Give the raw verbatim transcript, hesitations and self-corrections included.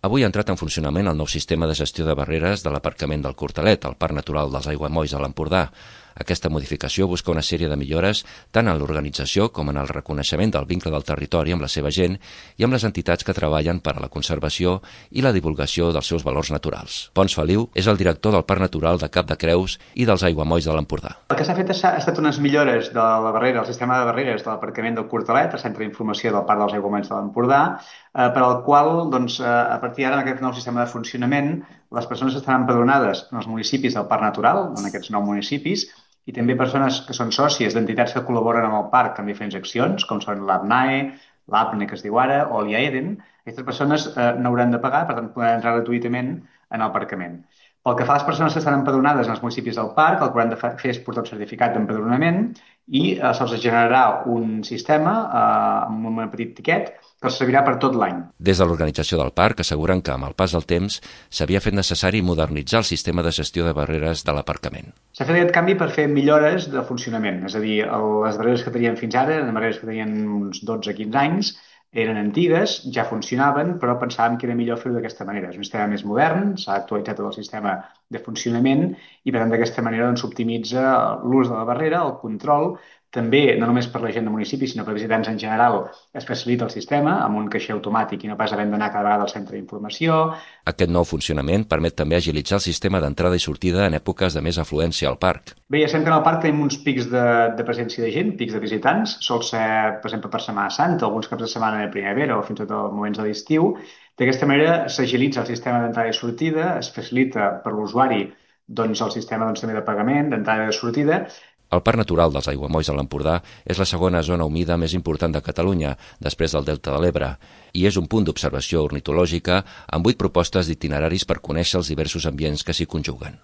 Avui ha entrat en funcionament el nou sistema de gestió de barreres de l'aparcament del Cortalet, al Parc Natural dels Aiguamolls a l'Empordà. Aquesta modificació busca una sèrie de millores tant en l'organització com en el reconeixement del vincle del territori amb la seva gent i amb les entitats que treballen per a la conservació i la divulgació dels seus valors naturals. Pons Feliu és el director del Parc Natural de Cap de Creus i dels Aiguamolls de l'Empordà. El que s'ha fet ha estat unes millores de la barrera, el sistema de barreres de l'aparcament del Cortalet, el centre d'informació del Parc dels Aiguamolls de l'Empordà, eh, per al qual, doncs, a partir d'ara, en aquest nou sistema de funcionament, les persones estaran empadronades en els municipis del Parc Natural, en aquests nou municipis, i també persones que són sòcies d'entitats que col·laboren amb el parc en diferents accions, com són l'APNAE, l'APNE, que es diu ara, o l'IAEDEN. Aquestes persones eh, no hauran de pagar, per tant, podran entrar gratuïtament en l'aparcament. Pel que fa a les persones que estan empadronades en els municipis del parc, el que hauran de fer és portar un certificat d'empadronament i eh, se'ls generarà un sistema eh, amb un petit tiquet que servirà per tot l'any. Des de l'organització del parc asseguren que, amb el pas del temps, s'havia fet necessari modernitzar el sistema de gestió de barreres de l'aparcament. S'ha fet aquest canvi per fer millores de funcionament, és a dir, les barreres que tenien fins ara, les barreres que tenien uns dotze a quinze anys, eren antigues, ja funcionaven, però pensàvem que era millor fer-ho d'aquesta manera. És un sistema més modern, s'ha actualitzat tot el sistema de funcionament i, per tant, d'aquesta manera s'optimitza l'ús de la barrera, el control. També, no només per la gent del municipi, sinó per visitants en general, es facilita el sistema amb un caixer automàtic i no pas havent d'anar cada vegada al centre d'informació. Aquest nou funcionament permet també agilitzar el sistema d'entrada i sortida en èpoques de més afluència al parc. Bé, ja sempre en el parc tenim uns pics de, de presència de gent, pics de visitants. Sol ser, per exemple, per Setmana Santa, alguns caps de setmana de primavera o fins i tot a moments de l'estiu. D'aquesta manera s'agilitza el sistema d'entrada i sortida, es facilita per l'usuari doncs, el sistema doncs, també de pagament, d'entrada i de sortida. El Parc Natural dels Aiguamolls de l'Empordà és la segona zona humida més important de Catalunya, després del Delta de l'Ebre, i és un punt d'observació ornitològica amb vuit propostes d'itineraris per conèixer els diversos ambients que s'hi conjuguen.